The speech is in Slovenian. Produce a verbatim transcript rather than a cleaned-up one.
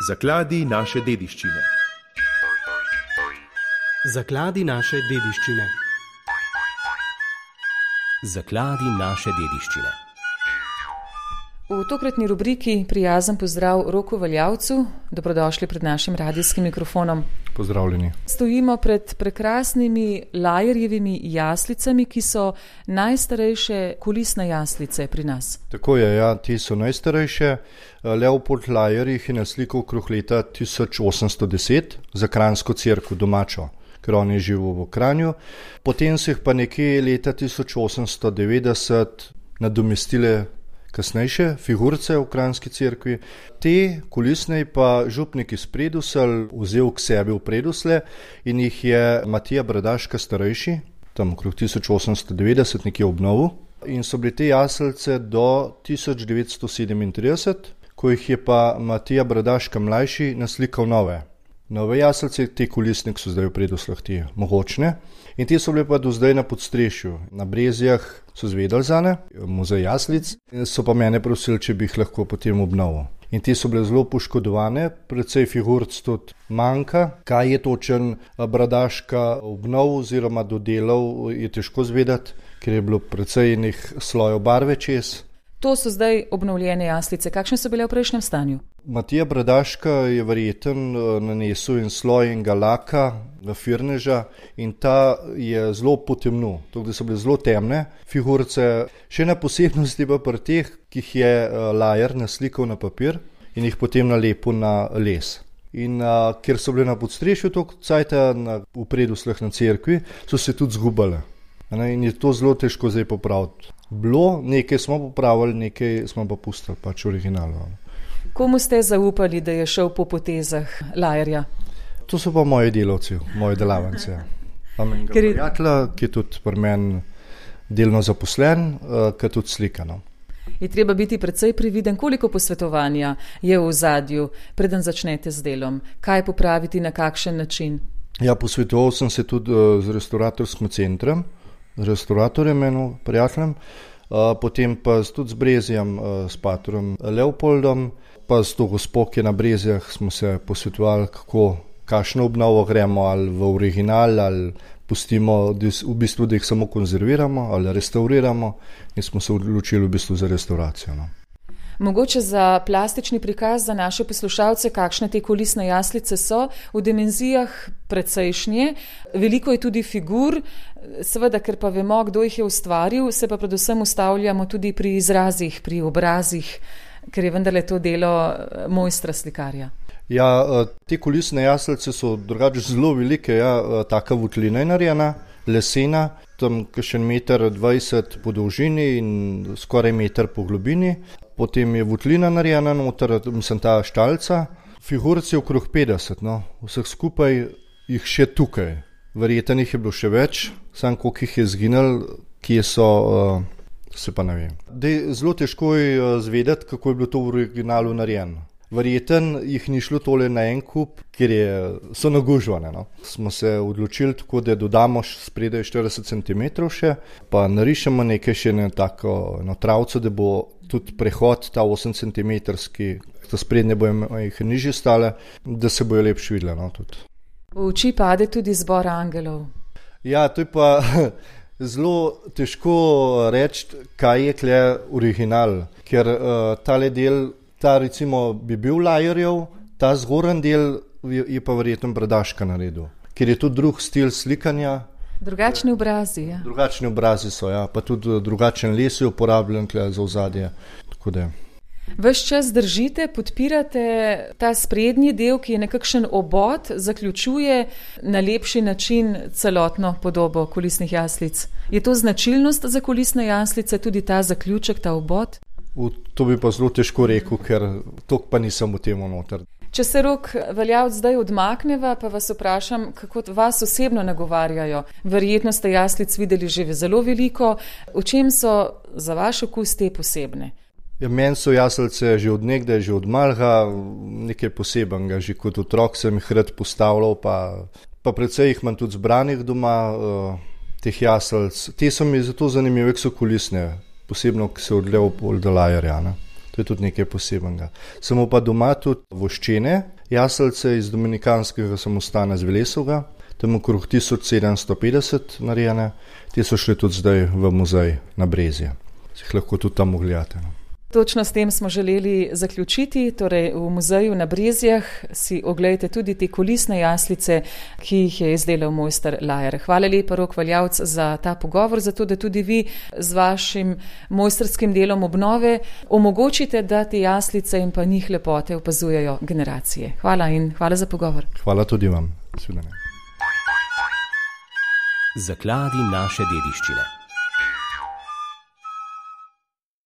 Zakladi naše dediščine. Zakladi naše dediščine. Zakladi naše dediščine. V tokratni rubriki prijazen pozdrav Roku Valjavcu. Dobrodošli pred našim radijskim mikrofonom. Pozdravljeni. Stojimo pred prekrasnimi Lajerjevimi jaslicami, ki so najstarejše kulisne jaslice pri nas. Tako je, ja, ti so najstarejše. Leopold Lajer jih je naslikal okrog leta tisoč osemsto deset za Kranjsko cerkev domačo, ker on je živel v Kranju. Potem so jih pa nekje leta tisoč osemsto devetdeset nadomestile kasnejše figurice v Kranjski cerkvi. Te kulisne pa župnik iz Predusel vzel k sebi v Predusle in jih je Matija Bradaška starejši, tam okrog tisoč osemsto devetdeset nekje obnovil. In so bili te jaslice do tisoč devetsto sedemintrideset, ko jih je pa Matija Bradaška mlajši naslikal nove. Nove jaslice, te kulisne so zdaj v Preduslah, te mogočne. In te so bile pa do zdaj na podstrešju. Na Brezjah so zvedali zane, muzej jaslic, so pa mene prosili, če bi jih lahko potem obnovil. In te so bile zelo poškodovane, predvsej figuric tudi manjka. Kaj je točen Bradaška obnov oziroma dodelal, je težko zvedati, ker je bilo predvsej enih slojev barve čez. To so zdaj obnovljene jaslice. Kakšne so bile v prejšnjem stanju? Matija Bradaška je verjeten nanesel en sloj enega laka, firneža, in ta je zelo potemnil. Tako da so bile zelo temne figurice. Še ena posebnost je pa pri teh, ki jih je Lajer naslikal na papir in jih potem nalepil na les. In a, ker so bile na podstrešju toliko cajta na, v Preduslah na cerkvi, so se tudi zgubale. In je to zelo težko zdaj popraviti. Bilo, nekaj smo popravili, nekaj smo pa pustili, pač originalno. Komu ste zaupali, da je šel po potezah Lajerja? To so pa moji delavci, moji delavance. Imam enega prijatelja, ki je tudi pri meni delno zaposlen, ki je tudi slikano. Je treba biti precej previden, koliko posvetovanja je v ozadju, preden začnete z delom? Kaj popraviti, na kakšen način? Ja, posvetoval sem se tudi z restauratorskim centrom, z restauratorjem eno prijateljem, potem pa tudi z Brezjem, s patrom Leopoldom, pa s to gospo, ki je na Brezjah, smo se posvetovali, kako, kakšno obnovo gremo, ali v original, ali pustimo, v bistvu, da jih samo konzerviramo, ali restauriramo, in smo se odločili v bistvu za restauracijo. No. Mogoče za plastični prikaz za naše poslušalce, kakšne te kulisne jaslice so, v dimenzijah precejšnje, veliko je tudi figur, seveda, ker pa vemo, kdo jih je ustvaril, se pa predvsem ustavljamo tudi pri izrazih, pri obrazih, ker je vendarle to delo mojstra slikarja. Ja, te kulisne jaslice so drugače zelo velike, ja, taka votlina je narejena, lesena, tam kakšen meter dvajset po dolžini in skoraj meter po globini. Potem je votlina narejena noter, mislim, ta štalca. Figuric je okrog petdeset, no. Vseh skupaj jih še tukaj. Verjetno jih je bilo še več, samo koliko jih je zginil, kje so, uh, se pa ne vem. Dej, zelo težko je zvedeti, kako je bilo to v originalu narejeno. Verjetno jih ni šlo tole na en kup, ker je, so nagužvane. No. Smo se odločili tako, da dodamo spredaj štirideset centimetrov še, pa narišemo nekaj še na tako na travco, da bo tudi prehod ta osem centimetrski, ta sprednje bojo jih nižje stale, da se bojo lepše videle. No, tudi. V oči pade tudi zbor angelov. Ja, to je pa zelo težko reči, kaj je kle original, ker uh, tale del, ta recimo bi bil Lajerjev, ta zgoren del je, je pa verjetno Bradaška naredil, ker je tudi drug stil slikanja. Drugačni obrazi, ja. Drugačni obrazi so, ja, pa tudi drugačen les je uporabljen za ozadje. Tako da. Ves čas držite, podpirate ta sprednji del, ki je nekakšen obod, zaključuje na lepši način celotno podobo kulisnih jaslic. Je to značilnost za kulisne jaslice, tudi ta zaključek, ta obod? V to bi pa zelo težko rekel, ker tok pa nisem v tem noter. Če se Rok Valjavc zdaj odmakneva, pa vas vprašam, kako vas osebno nagovarjajo. Verjetno ste jaslic videli že zelo veliko. V čem so za vaš okus te posebne? Ja, meni so jaslice že od nekdaj, že od malega nekaj posebenega. Že kot otrok sem jih rad postavljal, pa, pa predvsej jih imam tudi zbranih doma, uh, teh jaslic. Te so mi zato zanimive, ker so kulisne, posebno, ki se odlev pol do Lajerja. To je tudi nekaj posebenega. Samo pa doma tudi voščene Jaslice iz dominikanskega samostana z Velesovega, tam okrog tisoč sedemsto petdeset narejene, te so šle tudi zdaj v muzej na Brezje. Si jih lahko tudi tam ogledate. No. Točno s tem smo želeli zaključiti, torej v muzeju na Brezjah si oglejte tudi te kulisne jaslice, ki jih je izdelal mojster Lajer. Hvala lepa, Rok Valjavc, za ta pogovor, zato da tudi vi z vašim mojstrskim delom obnove omogočite, da te jaslice in pa njih lepote opazujejo generacije. Hvala in hvala za pogovor. Hvala tudi vam. Svidenje. Zakladi naše dediščine.